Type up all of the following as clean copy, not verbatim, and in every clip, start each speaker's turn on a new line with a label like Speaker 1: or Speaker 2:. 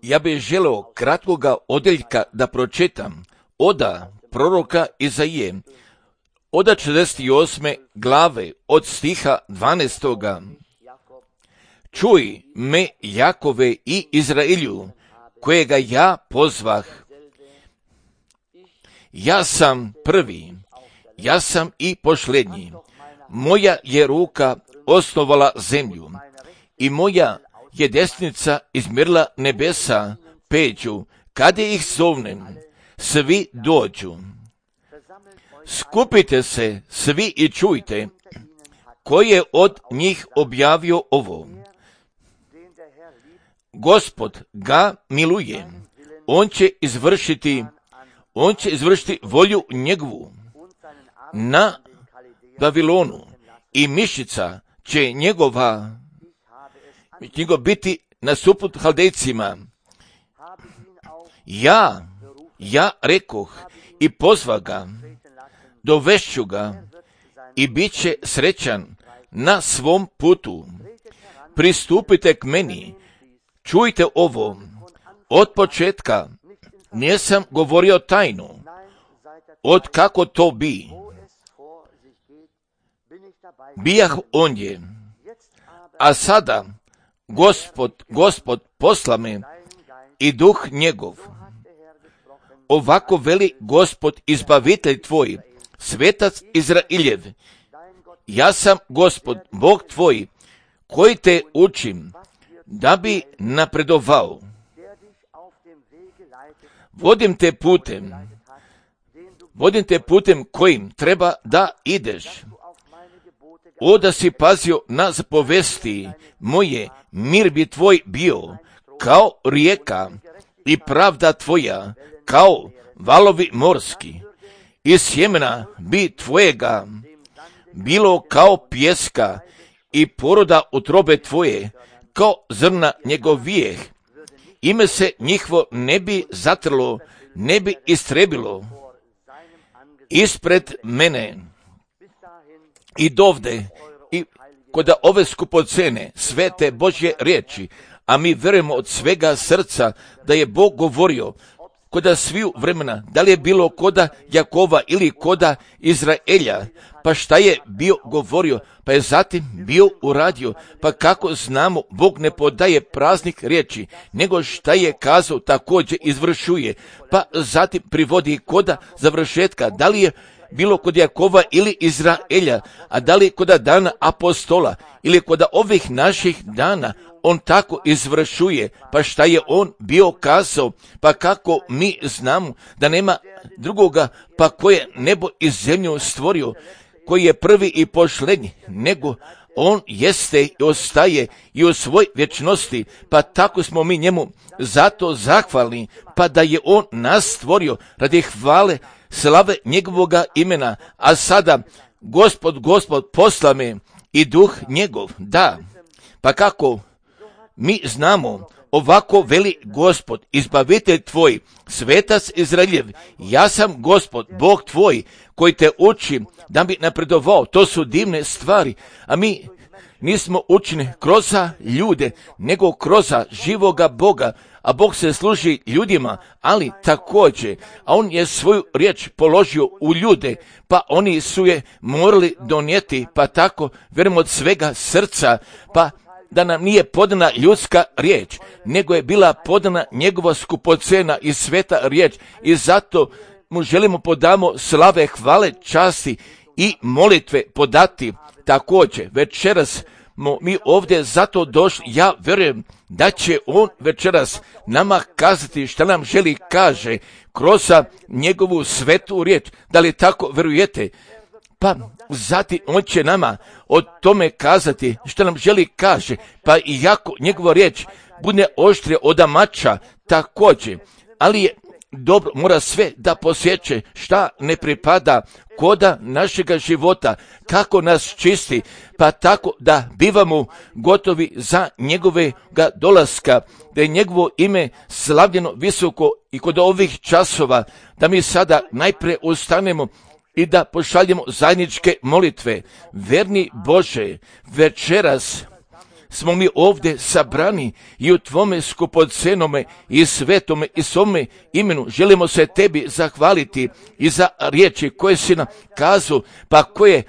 Speaker 1: Ja bih želeo kratkoga odjeljka da pročitam oda proroka Izaije, oda 48. glave od stiha 12. Čuj me, Jakove i Izraelju, kojega ja pozvah. Ja sam prvi, ja sam i posljednji. Moja je ruka osnovala zemlju i moja je desnica izmjerila nebesa, peđu, kada ih zovnem, svi dođu. Skupite se svi i čujte, ko je od njih objavio ovo. Gospod ga miluje, on će izvršiti volju njegovu na Babilonu i mišica će njegov biti nasuprot Haldejcima. Ja rekoh i pozva ga, dovešću ga i bit će srećan na svom putu. Pristupite k meni, čujte ovo, od početka nisam govorio tajnu, od kako to bi. Bijah ondje, a sada Gospod posla me i duh njegov. Ovako veli Gospod izbavitelj tvoj, svetac Izraeljev. Ja sam Gospod, Bog tvoj, koji te učim, da bi napredovao. Vodim te putem kojim treba da ideš. O da si pazio na zapovesti moje, mir bi tvoj bio kao rijeka i pravda tvoja kao valovi morski. I sjemena bi tvojega bilo kao pjeska i poroda utrobe tvoje kao zrna njegovijeh. Ime se njihovo ne bi zatrlo, ne bi istrebilo ispred mene. I dovde, i kod ove skupocene, svete Božje riječi, a mi vjerujemo od svega srca da je Bog govorio koda sviju vremena, da li je bilo koda Jakova ili koda Izraelja, pa šta je bio govorio, pa je zatim bio uradio, pa kako znamo, Bog ne podaje praznih riječi, nego šta je kazao također izvršuje, pa zatim privodi koda završetka, da li je bilo kod Jakova ili Izraelja, a da li kod dana apostola ili kod ovih naših dana, on tako izvršuje, pa šta je on bio kazao, pa kako mi znamo da nema drugoga, pa ko je nebo i zemlju stvorio, koji je prvi i posljednji, nego on jeste i ostaje i u svoj vječnosti, pa tako smo mi njemu zato zahvalni, pa da je on nas stvorio radi hvale, slave njegovoga imena, a sada Gospod posla me i duh njegov, da, pa kako mi znamo, ovako veli Gospod, izbavitelj tvoj, svetac Izraeljev, ja sam Gospod, Bog tvoj, koji te uči da bi napredovao. To su divne stvari, a mi nismo učeni kroz ljude, nego kroz živoga Boga, a Bog se služi ljudima, ali također, a on je svoju riječ položio u ljude, pa oni su je morali donijeti, pa tako vjerujemo od svega srca, pa da nam nije podana ljudska riječ, nego je bila podana njegova skupocena i sveta riječ, i zato mu želimo podamo slave, hvale, časti i molitve podati. Također, večeras mi ovdje zato došli, ja vjerujem da će on večeras nama kazati šta nam želi kaže kroz njegovu svetu riječ. Da li tako vjerujete? Pa zatim on će nama o tome kazati što nam želi kaže, pa i jako njegova riječ bude oštrija od mača također, ali je dobro, mora sve da posjeće šta ne pripada koda našega života, kako nas čisti, pa tako da bivamo gotovi za njegovega dolaska, da je njegovo ime slavljeno visoko i kod ovih časova, da mi sada najprije ustanemo i da pošaljemo zajedničke molitve. Verni Bože, večeras smo mi ovdje sabrani i u tvome skupocenome i svetome i svome imenu želimo se tebi zahvaliti i za riječi koje si nam kazao, pa koje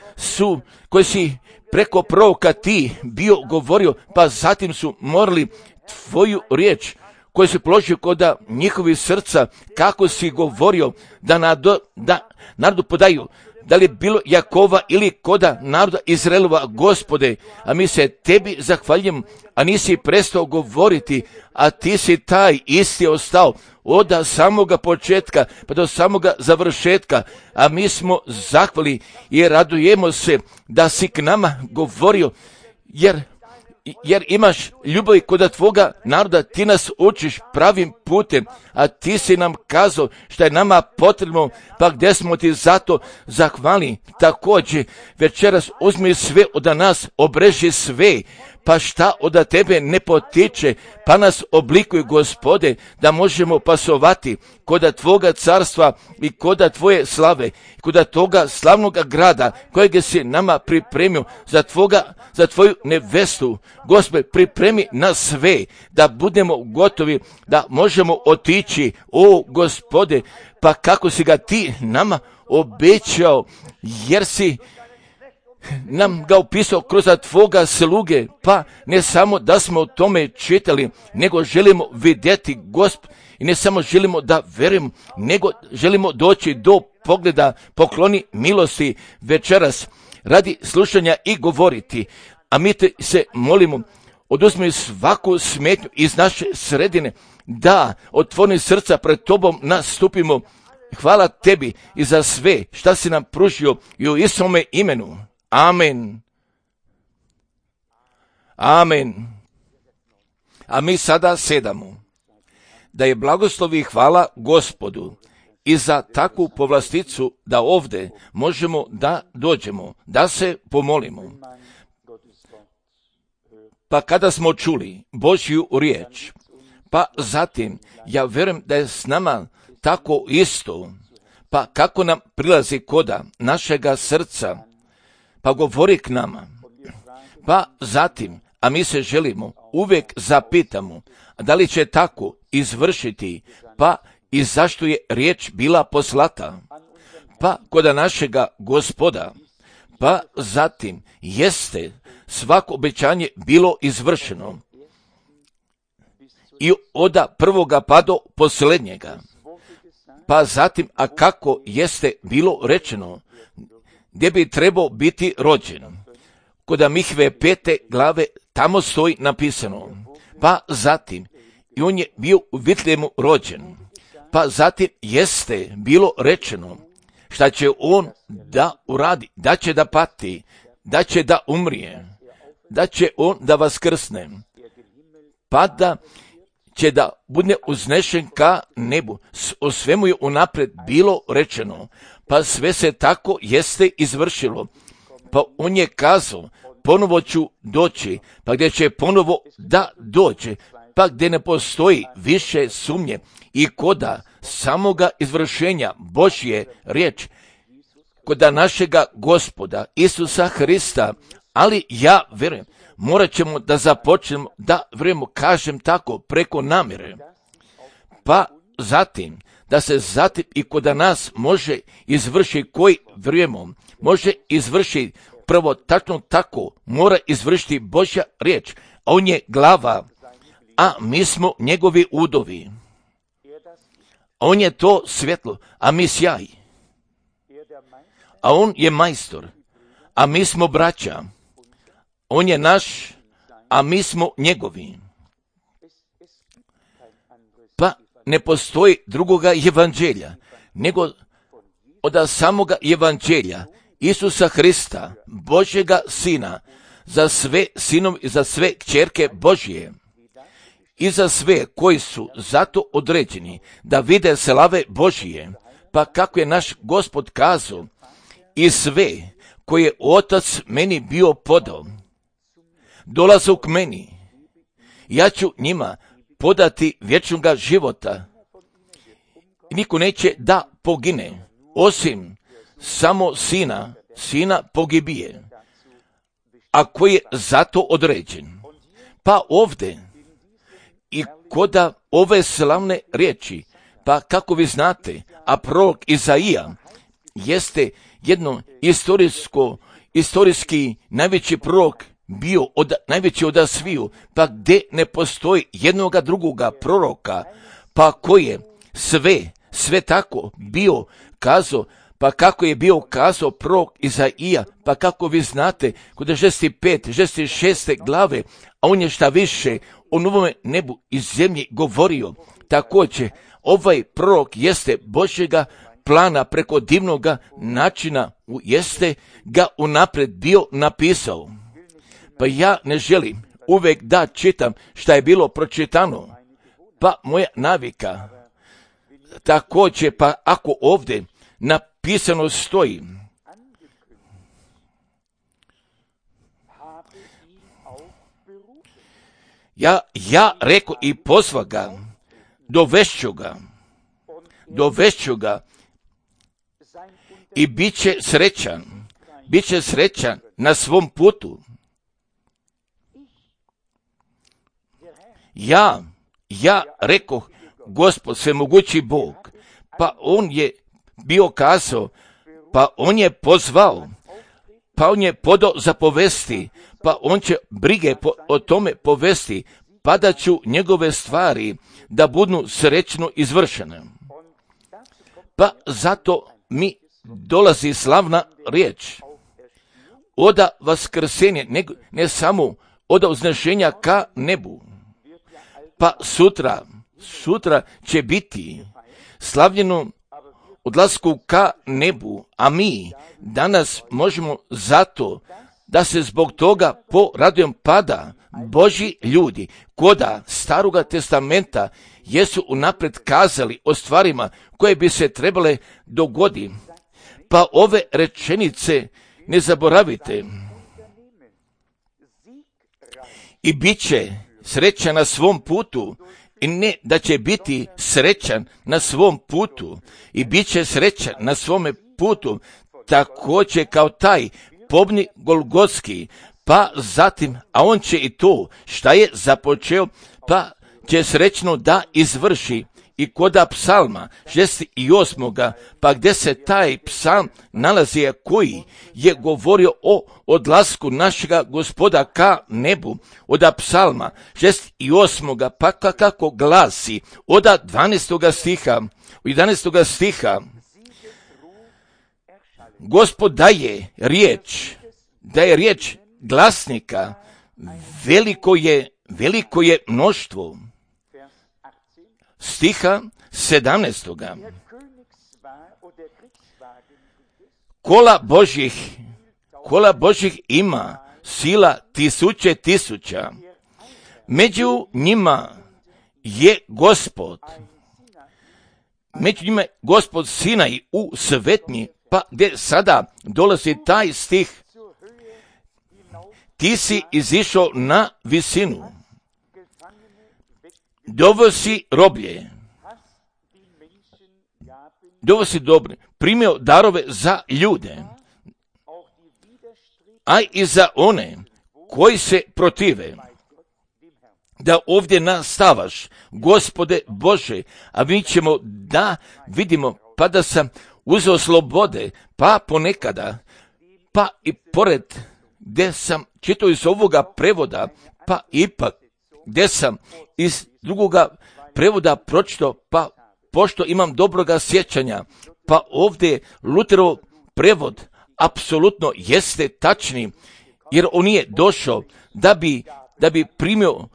Speaker 1: si preko proroka ti bio govorio, pa zatim su morali tvoju riječ koju si položio kod njihovih srca, kako si govorio da narodu podaju, da li bilo Jakova ili koda naroda Izraelova, Gospode, a mi se tebi zahvaljujemo, a nisi prestao govoriti, a ti si taj isti ostao od samoga početka pa do samoga završetka, a mi smo zahvali i radujemo se da si k nama govorio, jer imaš ljubav kod tvoga naroda, ti nas učiš pravim putem, a ti si nam kazao što je nama potrebno, pa gdje smo ti zato zahvalni. Također večeras uzmi sve od nas, obreži sve, pa šta od tebe ne potiče, pa nas oblikuj, Gospode, da možemo pasovati kod tvoga carstva i kod tvoje slave, kod toga slavnog grada kojeg si nama pripremio za tvoju nevestu. Gospode, pripremi nas sve da budemo gotovi, da možemo otići, o Gospode, pa kako si ga ti nama obećao, jer si nam ga upisao kroz tvoga sluge, pa ne samo da smo o tome čitali, nego želimo vidjeti, Gospod, i ne samo želimo da verujemo, nego želimo doći do pogleda, pokloni milosti večeras radi slušanja i govoriti, a mi te se molimo, oduzmi svaku smetnju iz naše sredine, da otvori srca pred tobom nastupimo. Hvala tebi i za sve šta si nam pružio i u Isusovome imenu. Amen. Amen. A mi sada sedamo. Da je blagoslov i hvala Gospodu i za takvu povlasticu da ovdje možemo da dođemo, da se pomolimo. Pa kada smo čuli Božju riječ, pa zatim ja vjerujem da je s nama tako isto, pa kako nam prilazi koda našega srca, pa govori k nama, pa zatim, a mi se želimo, uvijek zapitamo, da li će tako izvršiti, pa i zašto je riječ bila poslata, pa koda našega Gospoda, pa zatim jeste svako obećanje bilo izvršeno i od prvoga pa do posljednjega, pa zatim, a kako jeste bilo rečeno, gdje bi trebao biti rođen. Kod Mihve 5. glave tamo stoji napisano, pa zatim, i on je bio u Vitlejemu rođen, pa zatim jeste bilo rečeno, šta će on da uradi, da će da pati, da će da umrije, da će on da vaskrsne, pa da će da bude uznešen ka nebu. O svemu je unaprijed bilo rečeno, pa sve se tako jeste izvršilo. Pa on je kazao, ponovo ću doći, pa gdje će ponovo da dođe, pa gdje ne postoji više sumnje i koda samoga izvršenja Božje riječ, koda našega Gospoda Isusa Hrista, ali ja vjerujem, morat ćemo da započnemo da vjerujemo, kažem tako, preko namjere, pa zatim, da se zatim i koda nas može izvršiti koji vjerujemo, može izvršiti prvo tačno tako, mora izvršiti Božja riječ, a on je glava, a mi smo njegovi udovi. A on je to svjetlo, a mi sjaj. A on je majstor, a mi smo braća. On je naš, a mi smo njegovi. Pa ne postoji drugoga evanđelja, nego od samoga evanđelja Isusa Hrista, Božjega Sina, za sve sinove i za sve kćerke Božje i za sve koji su zato određeni da vide slave Božje, pa kako je naš Gospod kazao, i sve koje je Otac meni bio podao, dolazu k meni, ja ću njima podati vječnoga života. Niko neće da pogine, osim samo sina pogibije, a koji je zato određen. Pa ovdje i koda ove slavne riječi, pa kako vi znate, a prorok Izaija jeste jedno istorijski najveći prorok bio najveći od sviju, pa gdje ne postoji jednoga drugoga proroka, pa koji je sve tako bio kazao, pa kako je bio kazao prorok Izaija, pa kako vi znate, kod 6. glave, a on je šta više o novome nebu i zemlji govorio. Također, ovaj prorok jeste Božjega plana preko divnoga načina, jeste ga unaprijed bio napisao. Pa ja ne želim uvijek da čitam šta je bilo pročitano, pa moja navika. Također, pa ako ovdje napisano stoji, ja reko i pozva ga, dovešću ga i bit će srećan na svom putu. Ja rekoh, Gospod, svemogući Bog, pa on je bio kazao, pa on je pozvao, pa on je podao za povesti, pa on će brige o tome povesti, pa da ću njegove stvari da budu srećno izvršene. Pa zato mi dolazi slavna riječ oda vaskrsenja, ne samo oda uznešenja ka nebu. Pa sutra će biti slavljeno odlasku ka nebu, a mi danas možemo zato da se zbog toga poradujem, pada Božji ljudi koda Staroga testamenta jesu unaprijed kazali o stvarima koje bi se trebale dogoditi. Pa ove rečenice ne zaboravite. I bit će srećan na svom putu, i ne da će biti srećan na svom putu, i bit će srećan na svome putu, također kao taj pobni Golgotski, pa zatim, a on će i to šta je započeo, pa će srećno da izvrši. I koda psalma 68. pa gdje se taj psalm nalazi, koji je govorio o odlasku našega Gospoda ka nebu, od psalma 68. pa kako glasi, od 12. stiha, 11. stiha, Gospod daje riječ glasnika, veliko je mnoštvo. Stiha 17. Kola Božjih ima sila tisuća. Među njima je Gospod Sinaj u svetnji, pa gdje sada dolazi taj stih. Ti si izišao na visinu, dovosi roblje, dovosi dobre, primio darove za ljude, a i za one koji se protive. Da ovdje nastavaš, Gospode Bože, a mi ćemo da vidimo, pa da sam uzeo slobode, pa ponekada, pa i pored gdje sam čitao iz ovoga prevoda, pa ipak gdje sam iz drugoga prevoda pročitao, pa pošto imam dobroga sjećanja, pa ovdje Luterov prevod apsolutno jeste tačni, jer on je došao da bi primio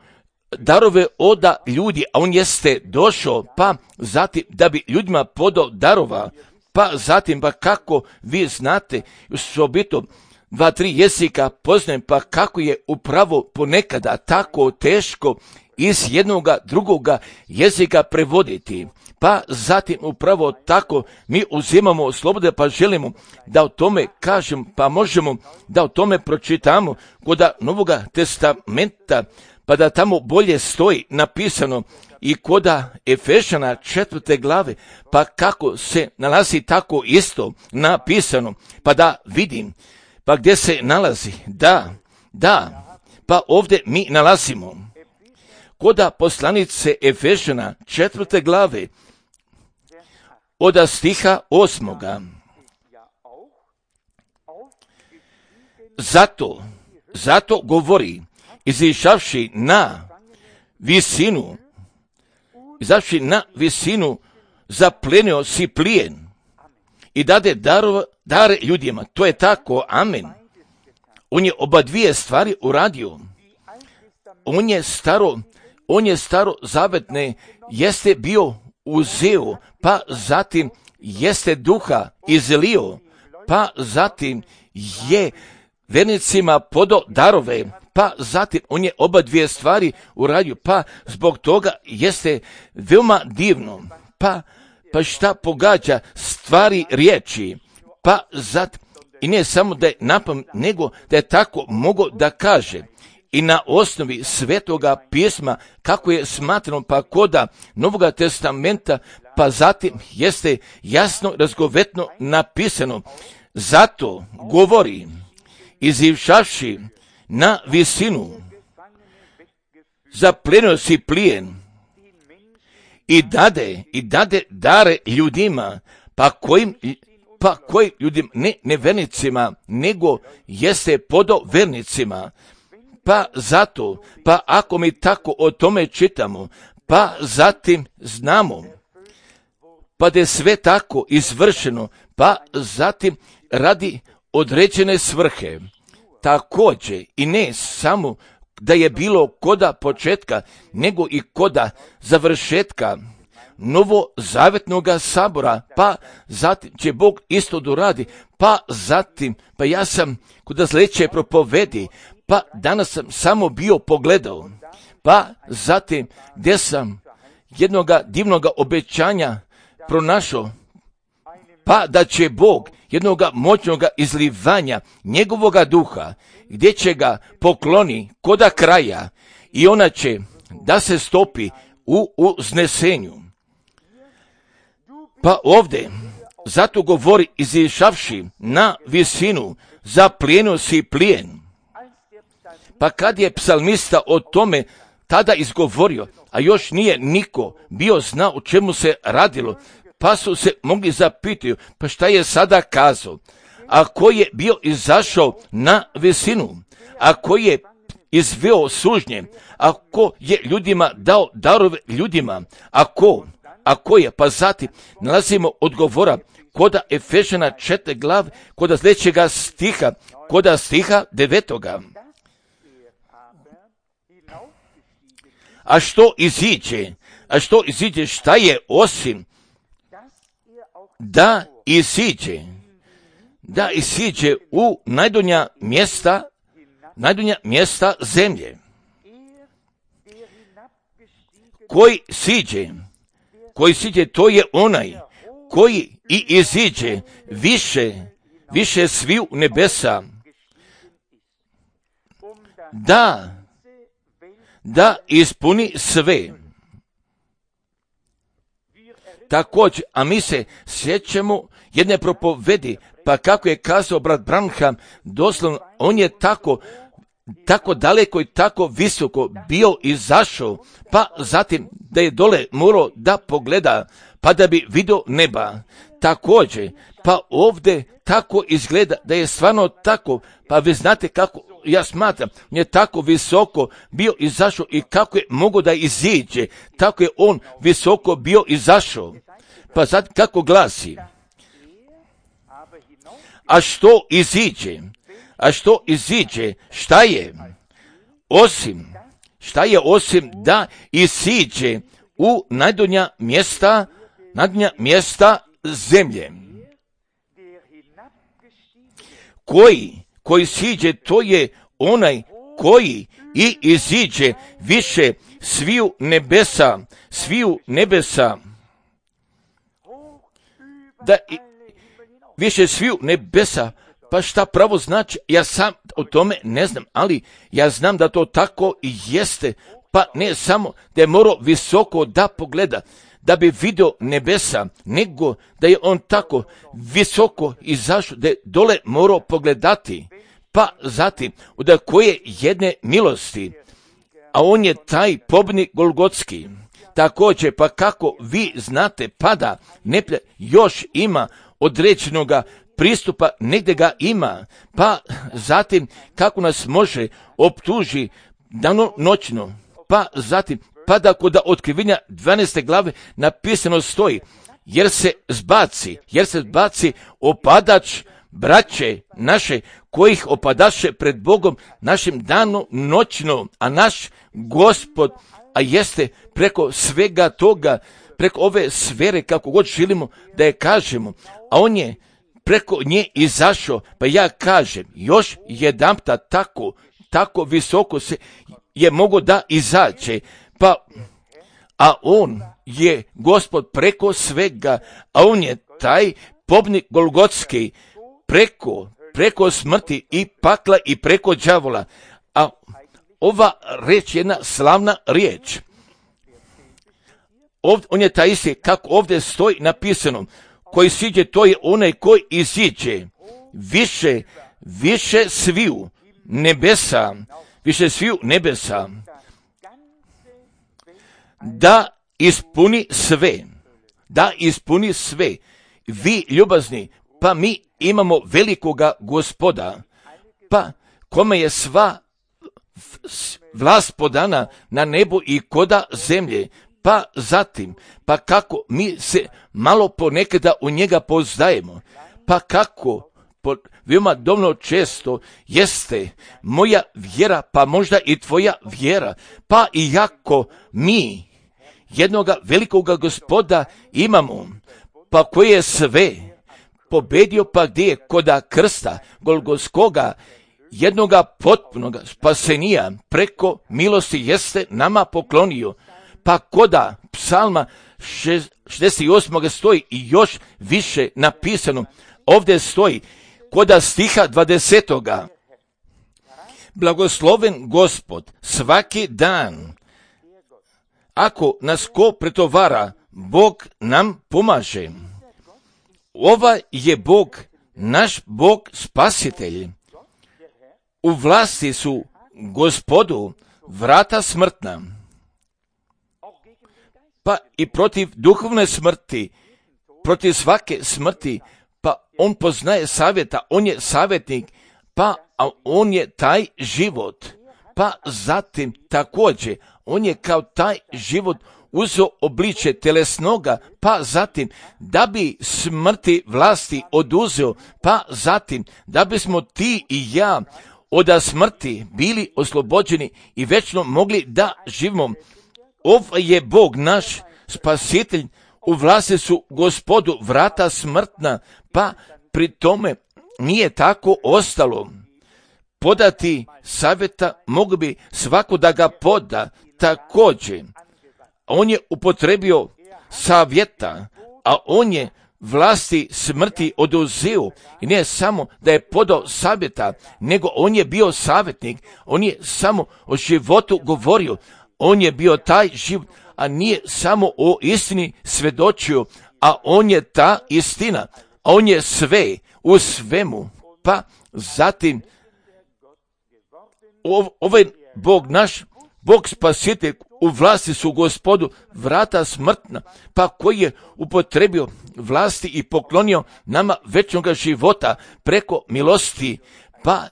Speaker 1: darove od ljudi, a on jeste došao, pa zatim da bi ljudima podao darova, pa zatim, pa kako vi znate, osobito 2-3 jezika poznajem, pa kako je upravo ponekada tako teško iz jednoga drugoga jezika prevoditi. Pa zatim upravo tako mi uzimamo slobode, pa želimo da o tome kažem, pa možemo da o tome pročitamo kod Novoga testamenta, pa da tamo bolje stoji napisano, i koda Efešana 4. glave, pa kako se nalazi tako isto napisano, pa da vidim, pa gdje se nalazi, da, Pa ovdje mi nalazimo koda poslanice Efežana 4. glave od stiha 8. Zato govori, izišavši na visinu, zaplenio si plijen i dade dare ljudima. To je tako, amen. On je oba dvije stvari uradio. On je staro zavetne jeste bio uzeo, pa zatim jeste duha izlio, pa zatim je vernicima podo darove, pa zatim on je oba dvije stvari uradio, pa zbog toga jeste veoma divno, pa šta pogađa stvari riječi, pa zatim i ne samo da je napamet, nego da je tako mogao da kaže i na osnovi Svetoga pisma, kako je smatrano, pa koda Novoga testamenta, pa zatim jeste jasno, razgovetno napisano. Zato govori, izivšavši na visinu, zaplenio si plijen i dade dare ljudima, pa kojim ljudima, ne nevernicima, nego jeste podovernicima. Pa zato, pa ako mi tako o tome čitamo, pa zatim znamo, pa da je sve tako izvršeno, pa zatim radi određene svrhe. Također i ne samo da je bilo koda početka, nego i koda završetka novozavetnoga sabora, pa zatim će Bog isto doradi, pa zatim, pa ja sam kod sljedeće propovedi, pa danas sam samo bio pogledao, pa zatim gdje sam jednoga divnoga obećanja pronašao, pa da će Bog jednoga moćnoga izlivanja njegovoga duha, gdje će ga pokloni koda kraja i ona će da se stopi u uznesenju. Pa ovdje, zato govori, izišavši na visinu, zaplijenio si plijen. Pa kad je psalmista o tome tada izgovorio, a još nije niko bio zna o čemu se radilo, pa su se mogli zapitati, pa šta je sada kazao? Ako je bio izašao na visinu, ako je izveo sužnje, ako je ljudima dao darove ljudima, ako je, pa zatim nalazimo odgovora koda Efežana 4. glav, koda sljedećega stiha, koda stiha 9. A što iziđe, šta je osim da isiđe u najdonja mjesta zemlje. Koji siđe, to je onaj koji i iziđe više sviju nebesa, da ispuni sve. Također, a mi se sjećamo jedne propovedi, pa kako je kazao brat Branham, doslovno on je tako daleko i tako visoko bio izašao, pa zatim da je dole morao da pogleda, pa da bi vidio neba. Također, pa ovdje tako izgleda da je stvarno tako, pa vi znate kako ja smatram, on je tako visoko bio izašao i kako je mogao da iziđe, tako je on visoko bio izašao. Pa sad kako glasi? A što iziđe? Šta je? Osim da isiđe u najdonja mjesta zemlje. Koji siđe, to je onaj koji i iziđe više sviju nebesa, da više sviju nebesa, pa šta pravo znači, ja sam o tome ne znam, ali ja znam da to tako i jeste, pa ne samo da je morao visoko da pogleda, da bi vidio nebesa, nego da je on tako visoko izašao, da je dole morao pogledati, pa zatim od koje jedne milosti, a on je taj pobjednik Golgotski. Također, pa kako vi znate, pada neplja još ima određenoga pristupa, negdje ga ima, pa zatim kako nas može optuži dano noćno, pa zatim pada kod otkrivenja 12. glave napisano stoji, jer se zbaci opadač braće naše, kojih opadaše pred Bogom našim dano noćno, a naš Gospod, a jeste preko svega toga, preko ove sfere, kako god želimo da je kažemo, a on je preko nje izašao, pa ja kažem, još jedanputa tako visoko se je mogo da izađe, pa, a on je Gospod preko svega, a on je taj pobjednik Golgotski, preko smrti i pakla i preko đavola, a ova riječ je jedna slavna riječ. On je taj isti, kako ovdje stoji napisano, koji siđe, to je onaj koji iziđe više sviju nebesa, da ispuni sve. Vi ljubazni, pa mi imamo velikoga Gospoda, pa kome je sva vlast podana na nebu i koda zemlje, pa zatim, pa kako mi se malo ponekada u njega poznajemo, pa kako veoma dovoljno često jeste moja vjera, pa možda i tvoja vjera, pa iako mi jednoga velikoga Gospoda imamo, pa koji je sve pobedio, pa gdje je koda krsta Golgotskoga, jednoga potpunoga spasenija preko milosti jeste nama poklonio, pa koda psalma 68. stoji i još više napisano, ovdje stoji koda stiha 20. Blagosloven Gospod svaki dan, ako nas ko pretovara, Bog nam pomaže. Ovaj je Bog, naš Bog spasitelj. U vlasti su Gospodu vrata smrtna, pa i protiv duhovne smrti, protiv svake smrti, pa on poznaje savjeta, on je savjetnik, pa on je taj život, pa zatim također on je kao taj život uzeo obličje telesnoga, pa zatim da bi smrti vlasti oduzeo, pa zatim da bismo ti i ja od smrti bili oslobođeni i večno mogli da živimo. Ovaj je Bog naš spasitelj, u vlasti su Gospodu vrata smrtna, pa pri tome nije tako ostalo. Podati savjeta mogu bi svako da ga poda također. On je upotrebio savjeta, a on je vlasti smrti oduzeo i ne samo da je podao savjeta, nego on je bio savjetnik, on je samo o životu govorio, on je bio taj život, a nije samo o istini svjedočio, a on je ta istina, a on je sve u svemu, pa zatim ovaj Bog naš, Bog spasitelj, u vlasti su Gospodu vrata smrtna, pa koji je upotrebio vlasti i poklonio nama večnoga života preko milosti, pa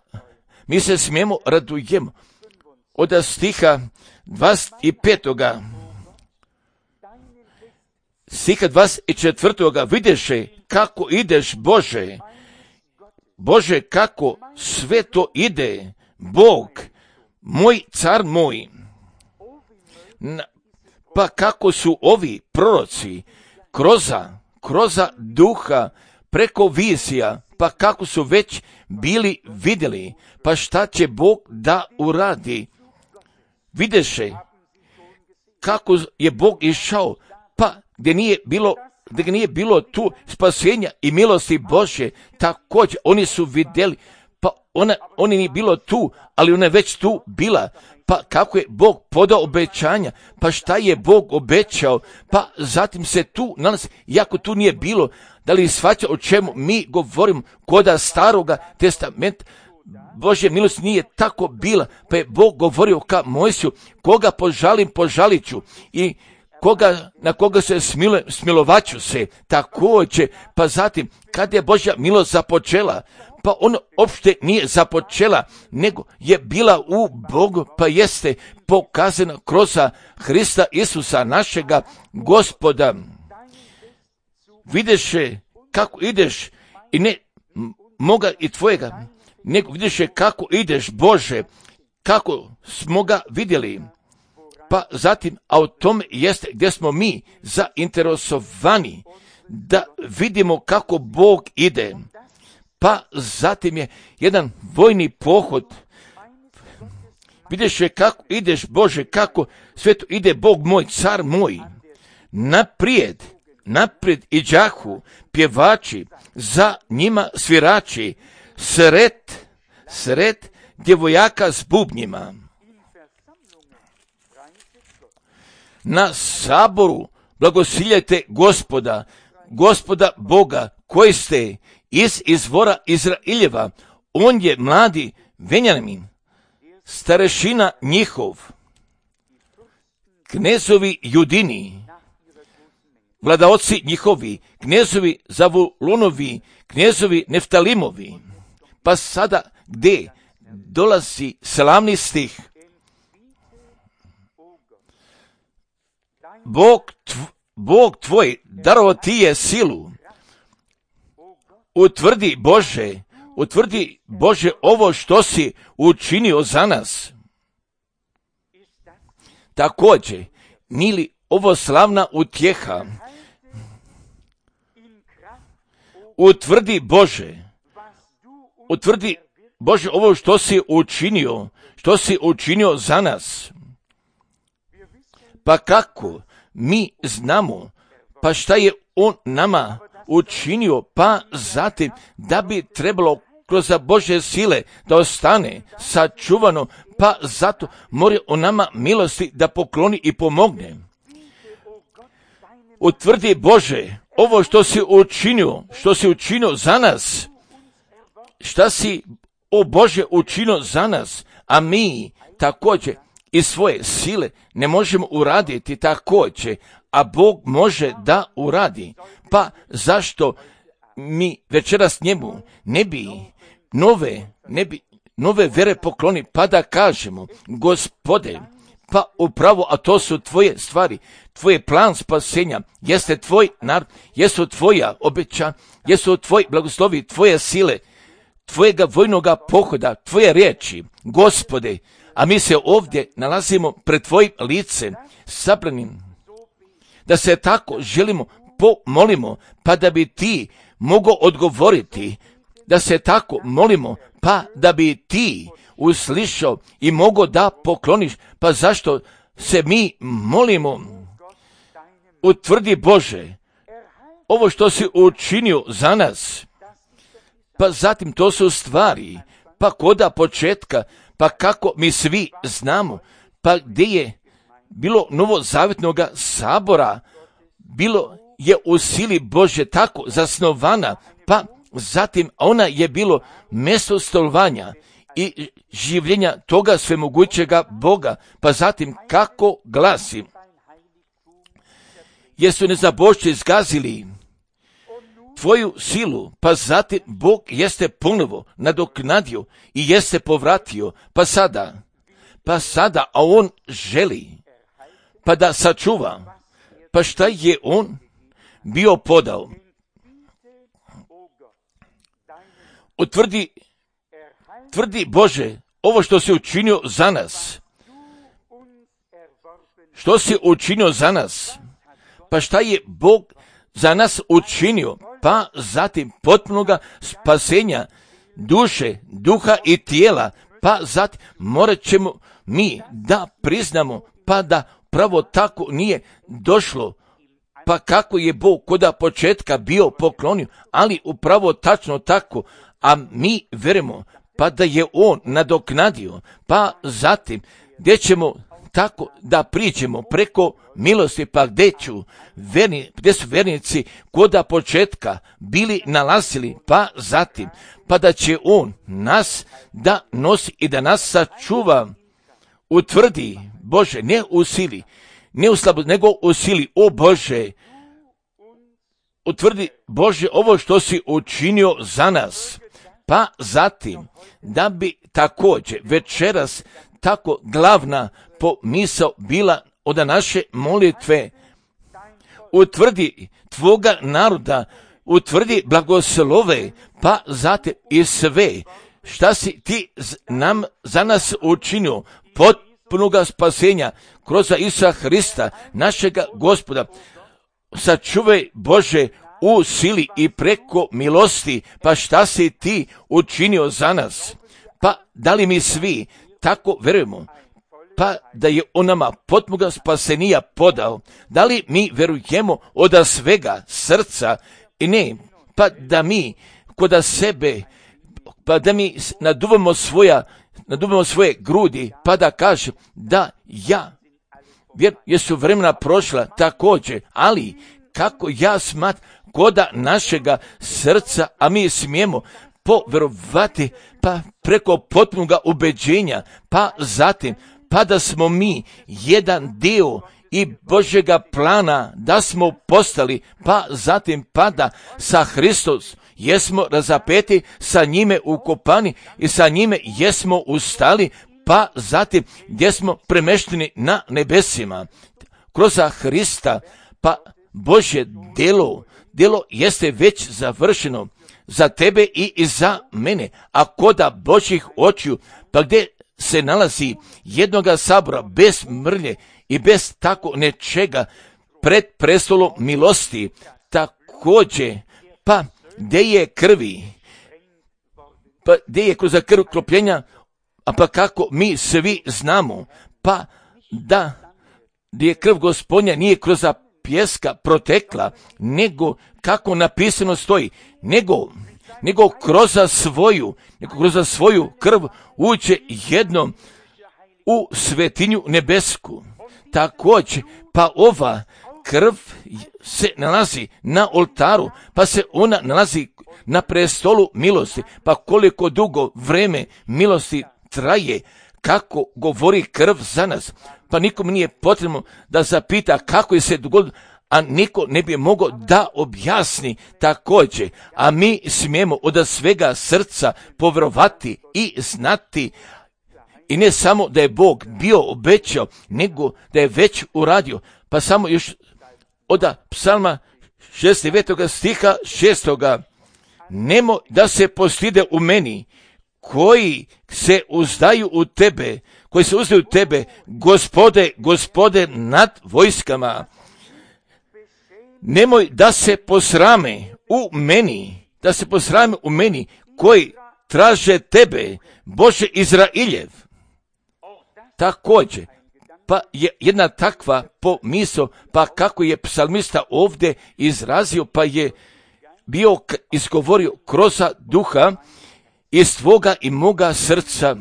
Speaker 1: mi se smijemo radujemo. Od stiha 25. stiha 24. Vidješe kako ideš, Bože, kako sve to ide, Bog, moj car moj. Pa kako su ovi proroci kroza duha preko vizija, pa kako su već bili vidjeli, pa šta će Bog da uradi. Videše kako je Bog išao, pa gdje nije bilo tu spasenja i milosti Božje, također oni su vidjeli, pa oni nije bilo tu, ali ona je već tu bila. Pa kako je Bog podao obećanja, pa šta je Bog obećao, pa zatim se tu nalazi, iako tu nije bilo, da li shvaća o čemu mi govorimo, koda staroga testamenta, Božja milost nije tako bila, pa je Bog govorio ka Mojsiju, koga požalim, požalit ću i na koga se smilovaću se, također, pa zatim, kad je Božja milost započela, pa ona uopšte nije započela, nego je bila u Bogu, pa jeste pokazana kroz Hrista Isusa, našega Gospoda. Videše kako ideš i ne moga i tvojega, nego videše kako ideš, Bože, kako smo ga vidjeli. Pa zatim, a o tome jeste gdje smo mi zainteresovani da vidimo kako Bog ide. Pa zatim je jedan vojni pohod. Vidiš kako ideš, Bože, kako sve to ide, Bog moj, car moj. Naprijed iđahu pjevači, za njima svirači, sred djevojaka s bubnjima. Na saboru blagosiljajte Gospoda Boga, koji ste iz izvora Izraeljeva. On je mladi Benjamin, starešina njihov, knezovi Judini, vladaoci njihovi, knezovi Zavulonovi, knezovi Neftalimovi. Pa sada gdje dolazi slavni stih? Bog tvoj darovao ti je silu. Utvrdi Bože ovo što si učinio za nas. Također, nije li ovo slavna utjeha? Utvrdi Bože ovo što si učinio za nas. Pa kako mi znamo, pa šta je on nama učinio, pa zatim da bi trebalo kroz Božje sile da ostane sačuvano, pa zato mora on nama milosti da pokloni i pomogne. Utvrdi Bože ovo što si učinio za nas, šta si, o Bože, učinio za nas, a mi također iz svoje sile ne možemo uraditi također, a Bog može da uradi. Pa zašto mi večeras njemu ne bi nove vere pokloni, pa da kažemo, Gospode, pa upravo, a to su tvoje stvari, tvoj plan spasenja, jeste tvoj narod, jesu tvoja obeća, jesu tvoji blagoslovi, tvoje sile, tvojega vojnoga pohoda, tvoje riječi, Gospode, a mi se ovdje nalazimo pred tvojim licem, sabranim, da se tako želimo pomolimo, pa da bi ti mogao odgovoriti, da se tako molimo, pa da bi ti uslišao i mogao da pokloniš, pa zašto se mi molimo? Utvrdi Bože ovo što si učinio za nas, pa zatim to su stvari, pa koda početka, pa kako mi svi znamo, pa gdje je bilo novozavjetnog sabora, bilo je u sili Bože tako zasnovana, pa zatim ona je bilo mjesto stolovanja i življenja toga svemogućega Boga, pa zatim kako glasi, jesu nezabošće zgazili tvoju silu, pa zatim Bog jeste ponovo nadoknadio i jeste povratio, pa sada, a on želi, pa da sačuva, pa šta je on bio podao? Tvrdi Bože ovo što si učinio za nas. Što si učinio za nas? Pa šta je Bog za nas učinio? Pa zatim potpunoga spasenja duše, duha i tijela, pa zatim morat ćemo mi da priznamo, pa da pravo tako nije došlo, pa kako je Bog koda početka bio poklonio, ali upravo tačno tako, a mi verujemo, pa da je on nadoknadio, pa zatim gdje ćemo tako da priđemo preko milosti, pa gdje su vernici koda početka bili nalazili, pa zatim, pa da će on nas da nosi i da nas sačuva, utvrdi, Bože, ne u sili, ne u slabosti, nego u sili, o Bože, utvrdi, Bože, ovo što si učinio za nas, pa zatim, da bi također večeras tako glavna pomisao bila od naše molitve, utvrdi tvoga naroda, utvrdi blagoslove, pa zatim i sve šta si ti nam za nas učinio, potpunoga spasenja kroz Isusa Hrista, našega Gospoda, sačuvaj, Bože, u sili i preko milosti, pa šta si ti učinio za nas, pa da li mi svi tako verujemo, pa da je on nama potpunoga spasenija podao, da li mi verujemo od svega srca i ne, pa da mi kod sebe, pa da mi naduvamo svoje grudi, pa da kažem da jesu vremena prošla također, ali kako ja smatram koda našega srca, a mi smijemo poverovati, pa preko potpunoga ubeđenja, pa zatim, pa da smo mi jedan dio i Božjega plana, da smo postali, pa zatim, pa da sa Hristos jesmo razapeti, sa njime ukopani i sa njime jesmo ustali, pa zatim gdje smo premešteni na nebesima. Kroz Hrista, pa Božje djelo jeste već završeno za tebe i za mene, a koda Božjih očiju, pa gdje se nalazi jednoga sabora bez mrlje i bez tako nečega pred prestolom milosti, također, pa gdje je krvi, pa gdje je kroz krv kropljenja, a pa kako mi svi znamo, pa da gdje je krv Gospodnja nije kroz pjeska protekla, nego kako napisano stoji, nego kroz svoju krv uđe jednom u svetinju nebesku. Također, pa ova krv se nalazi na oltaru, pa se ona nalazi na prestolu milosti, pa koliko dugo vreme milosti traje, kako govori krv za nas, pa nikom nije potrebno da zapita kako je se dogodilo, a niko ne bi mogao da objasni također, a mi smijemo od svega srca povjerovati i znati, i ne samo da je Bog bio obećao, nego da je već uradio. Pa samo još od psalma 69. stiha 6. Nemoj da se postide u meni, koji se uzdaju u tebe, Gospode nad vojskama. Nemoj da se posrame u meni, koji traže tebe, Bože Izrailjev. Također, pa je jedna takva pomisao, pa kako je psalmista ovdje izrazio, pa je bio izgovorio kroz duha iz tvoga i moga srca,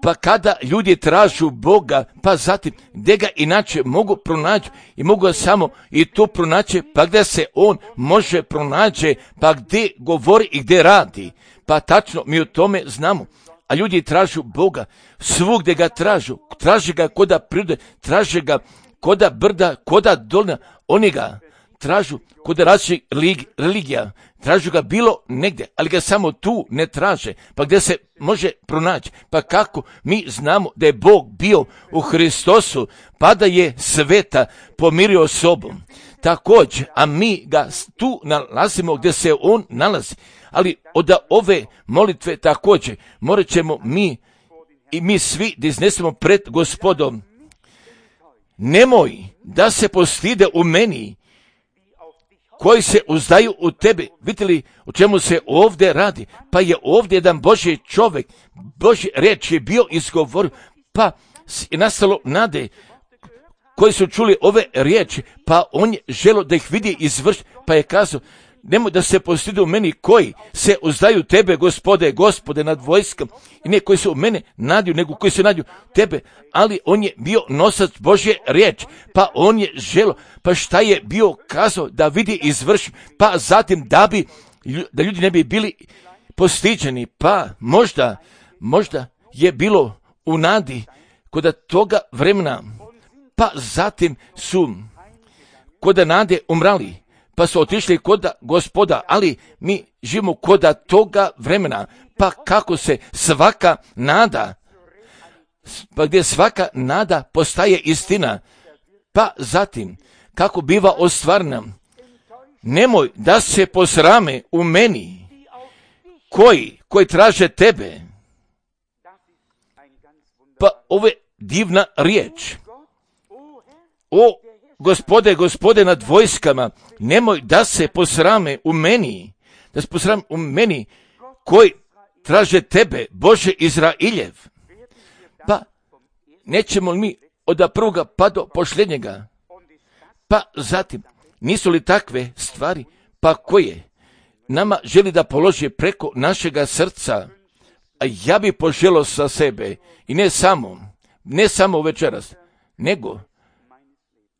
Speaker 1: pa kada ljudi tražu Boga, pa zatim gdje ga inače mogu pronaći i mogu ga samo i tu pronaći, pa gdje se on može pronaći, pa gdje govori i gdje radi, pa tačno mi o tome znamo. A ljudi tražu Boga, svugdje ga traže ga koda prirode, traže ga koda brda, koda dolina, oni ga tražu koda različitih religija, tražu ga bilo negdje, ali ga samo tu ne traže, pa gdje se može pronaći, pa kako mi znamo da je Bog bio u Hristosu, pa da je sveta pomirio sobom. Također, a mi ga tu nalazimo gdje se on nalazi, ali od ove molitve također morat ćemo mi svi da iznesemo pred Gospodom. Nemoj da se postide u meni, koji se uzdaju u tebe. Vidite li o čemu se ovdje radi? Pa je ovdje jedan Božji čovjek, Božji riječ je bio izgovor, pa je nastalo nade koji su čuli ove riječi, pa on je želio da ih vidi izvršiti, pa je kazao, nemoj da se postidu meni koji se uzdaju tebe, Gospode nad vojskom, i ne koji se u mene nadiju, nego koji se nadiju tebe, ali on je bio nosač Božje riječ, pa on je želo, pa šta je bio kazao da vidi izvrši, pa zatim da ljudi ne bi bili postiđeni, pa možda je bilo u nadi kod toga vremena, pa zatim su kod nade umrali, pa su otišli kod Gospoda, ali mi živimo kod toga vremena, pa kako se svaka nada, pa gdje svaka nada postaje istina, pa zatim kako biva ostvarena. Nemoj da se posrame u meni koji traže tebe. Pa ovo je divna riječ. O Gospode nad vojskama, nemoj da se posrame u meni, koji traže tebe, Bože Izrailjev. Pa nećemo li mi od prvoga pa do posljednjega? Pa zatim, nisu li takve stvari, pa koje nama želi da položi preko našega srca? A ja bi poželio sa sebe, i ne samo večeras, nego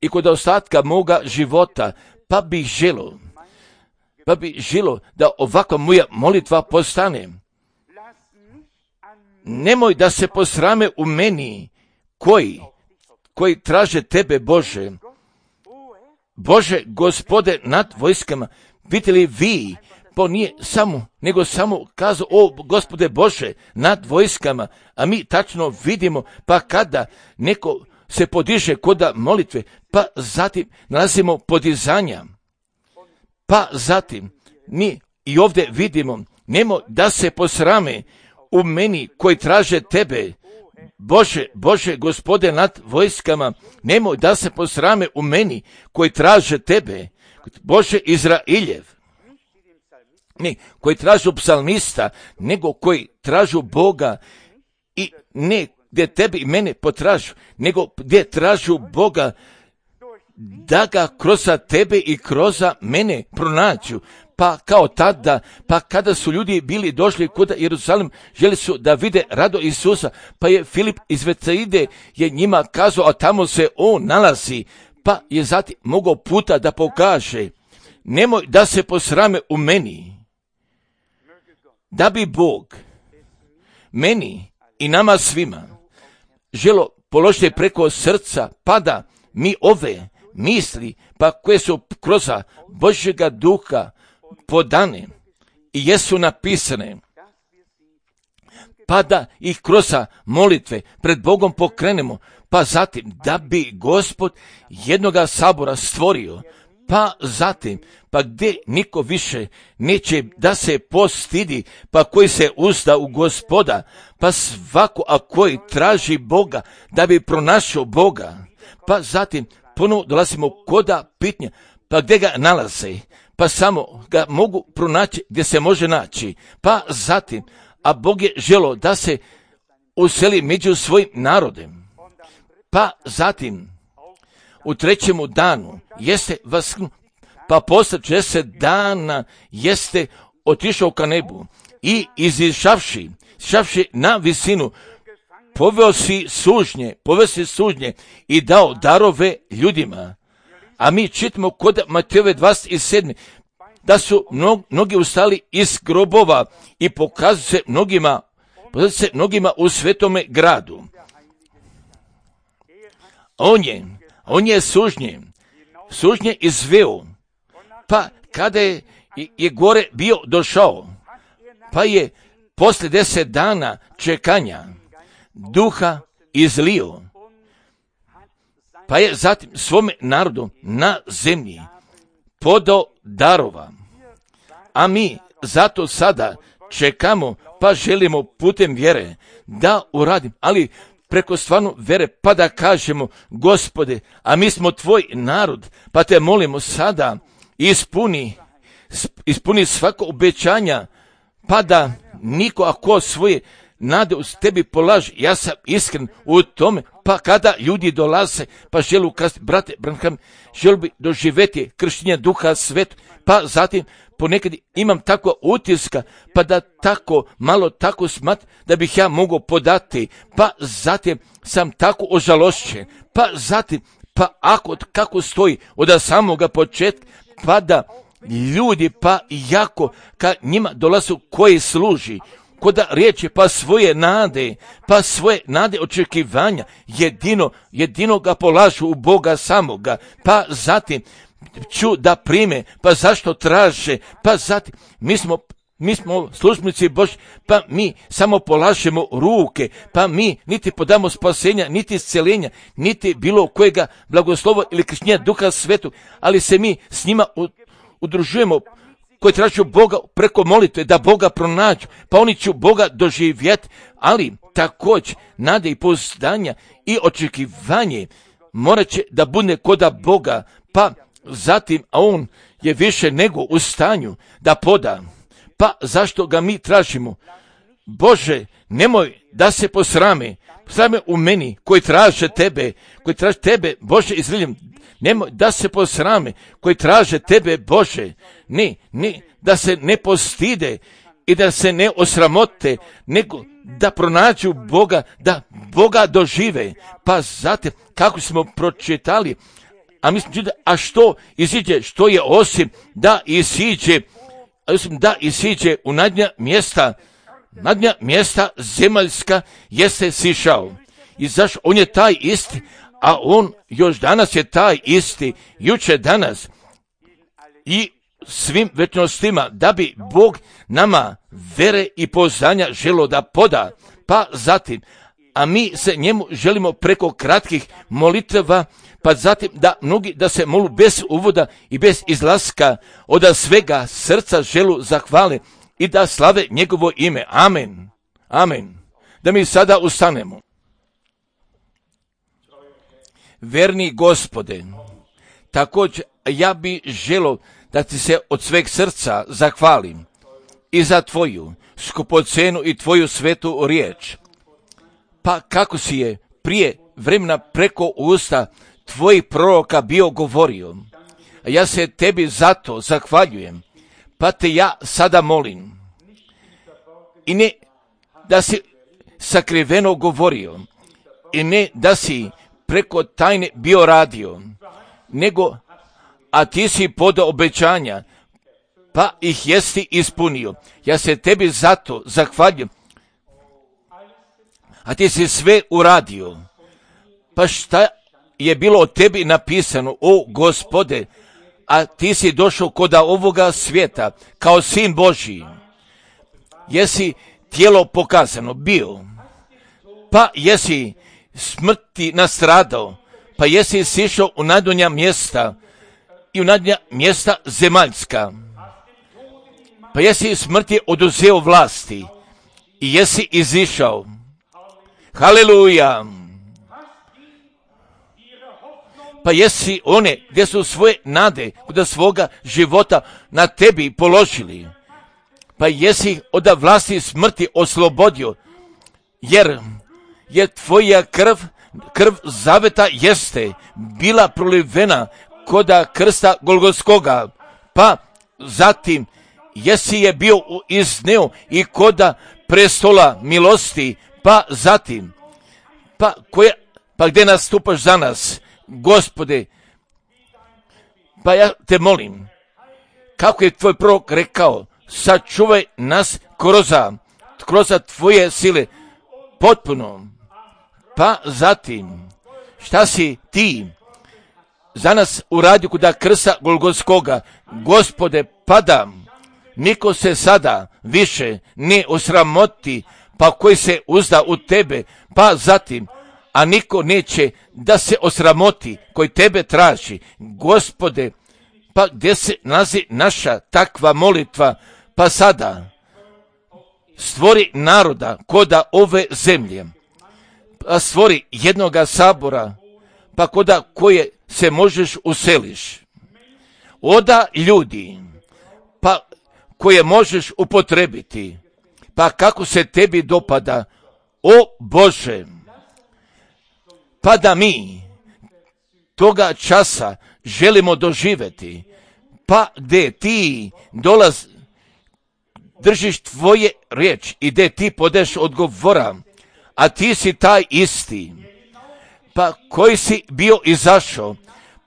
Speaker 1: i kod ostatka moga života, pa bih želio da ovakva moja molitva postane. Nemoj da se posrame u meni koji traže tebe, Bože. Bože, Gospode nad vojskama, vidite li vi, pa nije nego samo kazao, o Gospode Bože nad vojskama, a mi tačno vidimo, pa kada neko se podiže kod molitve, pa zatim nalazimo podizanja, pa zatim mi i ovdje vidimo, nemoj da se posrame u meni koji traže tebe, Bože, Gospode nad vojskama, nemoj da se posrame u meni koji traže tebe, Bože Izrailjev. Ne koji tražu psalmista, nego koji tražu Boga, i ne gdje tebi i mene potražu, nego gdje tražu Boga, da ga kroz tebe i kroz mene pronađu. Pa kao tada, pa kada su ljudi bili došli kod Jerusalim, želi su da vide rado Isusa, pa je Filip iz Betsaide je njima kazao, a tamo se on nalazi, pa je zatim mogao puta da pokaže, nemoj da se posrame u meni, da bi Bog meni i nama svima želo položiti preko srca, pa da mi ove misli, pa koje su kroz Božjega duha podane i jesu napisane, pa da ih kroz molitve pred Bogom pokrenemo, pa zatim da bi Gospod jednoga sabora stvorio, pa zatim, pa gdje niko više neće da se postidi, pa koji se uzda u Gospoda, pa svako a koji traži Boga da bi pronašao Boga, pa zatim ponovo dolazimo koda pitanja, pa gdje ga nalaze, pa samo ga mogu pronaći gdje se može naći, pa zatim, a Bog je želo da se useli među svojim narodem, pa zatim u trećemu danu jeste vasknuo, pa posle 40 dana jeste otišao ka nebu i izišavši na visinu, poveo si sužnje i dao darove ljudima. A mi čitamo kod Matejove 27. da su mnogi ustali iz grobova i pokazuju se mnogima u svetome gradu. On je sužnje izveo, pa kada je gore bio došao, pa je poslije 10 dana čekanja duha izlio, pa je zatim svome narodu na zemlji podao darova. A mi zato sada čekamo, pa želimo putem vjere da uradim, ali preko stvarno vjere, pa da kažemo, Gospode, a mi smo tvoj narod, pa te molimo sada, ispuni svako obećanja, pa da niko ako svoje nade uz tebi polaži. Ja sam iskren u tome, pa kada ljudi dolaze, pa želu kazati, brate Branham, želi bi doživjeti krštenje duha svetu, pa zatim ponekad imam takva utiska, pa da tako, malo tako da bih ja mogao podati, pa zatim sam tako ožalošćen, pa zatim, pa kako stoji od samoga početka, pa da ljudi, pa jako, ka njima dolazu koji služi, koda riječi, pa svoje nade očekivanja, jedino ga polažu u Boga samoga, pa zatim ću da prime, pa zašto traže, pa zatim mi smo službenici Božji, pa mi samo polažemo ruke, pa mi niti podamo spasenja, niti isceljenja, niti bilo kojega blagoslova ili krštenja Duha Svetog, ali se mi s njima udružujemo, koji tražu Boga preko molitve, da Boga pronađu, pa oni će Boga doživjeti, ali također nade i pouzdanja i očekivanje morat će da bude koda Boga, pa zatim, a on je više nego u stanju da poda. Pa zašto ga mi tražimo? Bože, nemoj da se posrame u meni koji traže tebe, Bože, izviljem, nemoj da se posrame koji traže tebe, Bože, ne, da se ne postide i da se ne osramote, nego da pronađu Boga, da Boga dožive. Pa zatim, kako smo pročitali, a mislim, a što iziđe, što je osim da isiđe u nadnja mjesta zemaljska jeste sišao. I zašto? On je taj isti, a on još danas je taj isti, juče, danas i svim večnostima, da bi Bog nama vere i poznanja želo da poda. Pa zatim, a mi se njemu želimo preko kratkih molitva, pa zatim da mnogi da se molu bez uvoda i bez izlaska od svega srca želu zahvale i da slave njegovo ime. Amen. Amen. Da mi sada ustanemo. Verni Gospode, također ja bi želo da ti se od sveg srca zahvalim i za tvoju skupocenu i tvoju svetu riječ. Pa kako si je prije vremena preko usta tvojih proroka bio govorio, a ja se tebi zato zahvaljujem, pa te ja sada molim. I ne da si sakriveno govorio, i ne da si preko tajne bio radio, nego, a ti si podao obećanja, pa ih jesi ispunio. Ja se tebi zato zahvaljujem, a ti si sve uradio. Pa šta je bilo o tebi napisano, o Gospode, a ti si došao koda ovoga svijeta kao sin Božji. Jesi tijelo pokazano bio, pa jesi smrti nastradao, pa jesi sišao u najdonja mjesta i u najdonja mjesta zemaljska, pa jesi smrti oduzeo vlasti i jesi izišao. Haleluja! Pa jesi one gdje su svoje nade od svoga života na tebi položili, pa jesi od vlasti smrti oslobodio, jer tvoja krv zaveta jeste bila prolivena koda krsta Golgotskoga, pa zatim jesi je bio izneo i koda prestola milosti, pa zatim, pa gdje nastupaš za nas, Gospode, pa ja te molim, kako je tvoj prorok rekao, sačuvaj nas kroz tvoje sile potpuno. Pa zatim, šta si ti za nas uradio kuda krsta Golgotskoga, Gospode, padam, niko se sada više ne osramoti, pa koji se uzda u tebe, pa zatim, a niko neće da se osramoti koji tebe traži. Gospode, pa gdje se nalazi naša takva molitva, pa sada stvori naroda koda ove zemlje, pa stvori jednoga sabora, pa koda koje se možeš useliš. Oda ljudi, pa koje možeš upotrebiti, pa kako se tebi dopada, o Bože, pa da mi toga časa želimo doživjeti, pa gdje ti držiš tvoje riječ i gdje ti podeš odgovora, a ti si taj isti, pa koji si bio izašao,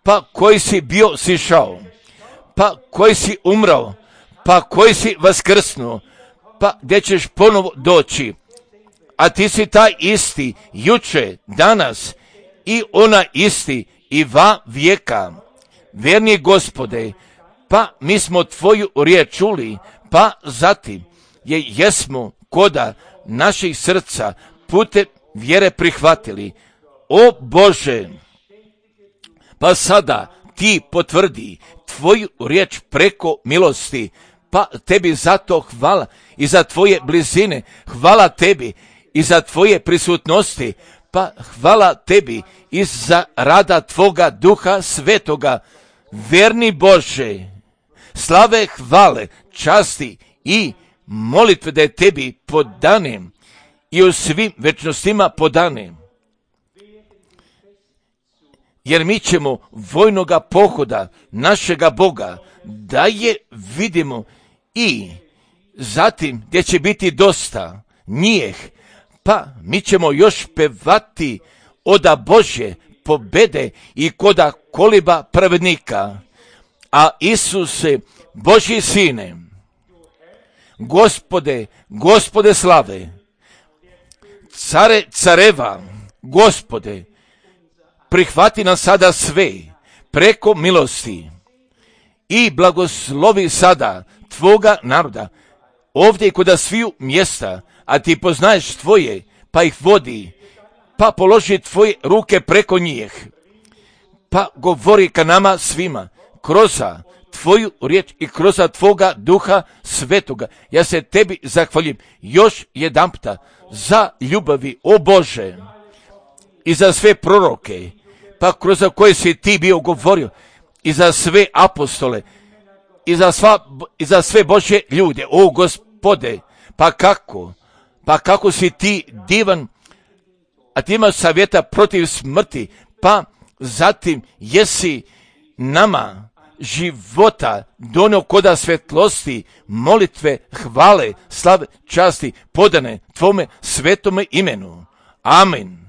Speaker 1: pa koji si bio sišao, pa koji si umrao, pa koji si vaskrsnuo, pa gdje ćeš ponovo doći, a ti si taj isti, juče, danas i ona isti i va vijeka. Verni Gospode, pa mi smo tvoju riječ čuli, pa zatim jesmo koda naših srca putem vjere prihvatili. O Bože, pa sada ti potvrdi tvoju riječ preko milosti, pa tebi zato hvala i za tvoje blizine, hvala tebi i za tvoje prisutnosti, pa hvala tebi i za rada tvoga Duha Svetoga. Verni Bože, slave, hvale, časti i molitve da je tebi podanem i u svim večnostima podanem. Jer mi ćemo vojnoga pohoda našega Boga da je vidimo i zatim gdje će biti dosta njih, pa mi ćemo još pevati oda Božje pobede i koda koliba pravednika. A Isuse, Božji Sine, Gospode slave, Care careva, Gospode, prihvati nas sada sve preko milosti i blagoslovi sada tvoga naroda ovdje i kod sviju mjesta, a ti poznaješ tvoje, pa ih vodi, pa položi tvoje ruke preko njih, pa govori ka nama svima kroz tvoju riječ i kroz tvoga Duha Svetoga. Ja se tebi zahvaljujem još jedanputa za ljubavi, o Bože, i za sve proroke, pa kroz koje si ti bio govorio, i za sve apostole, i za sve Božje ljude, o Gospode, pa kako si ti divan, a ti imaš savjeta protiv smrti, pa zatim jesi nama života donio koda svetlosti, molitve, hvale, slave, časti, podane tvome svetome imenu. Amen.